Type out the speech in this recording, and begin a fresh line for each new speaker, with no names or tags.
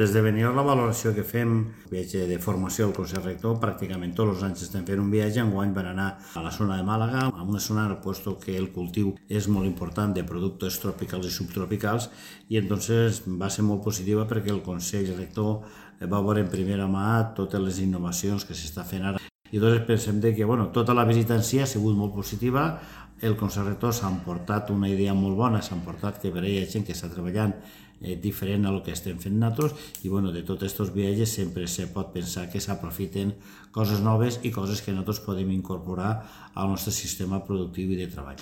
Des de venir la valoració que fem, viatge de formació al Consell Rector, pràcticament tots els anys estem fent un viatge. Enguany van anar a la zona de Màlaga, a una zona puesto que el cultiu és molt important de productes tropicals i subtropicals, i entonces va ser molt positiva perquè el Consell Rector va veure en primera mà totes les innovacions que s'està fent ara. I doncs pensem que tota la visita en si ha sigut molt positiva. El Consell Rector s'ha emportat una idea molt bona, s'ha emportat que per hi ha gent que està treballant diferent a el que estem fent nosaltres, i de tots aquests viatges sempre se pot pensar que s'aprofiten coses noves i coses que nosaltres podem incorporar al nostre sistema productiu i de treball.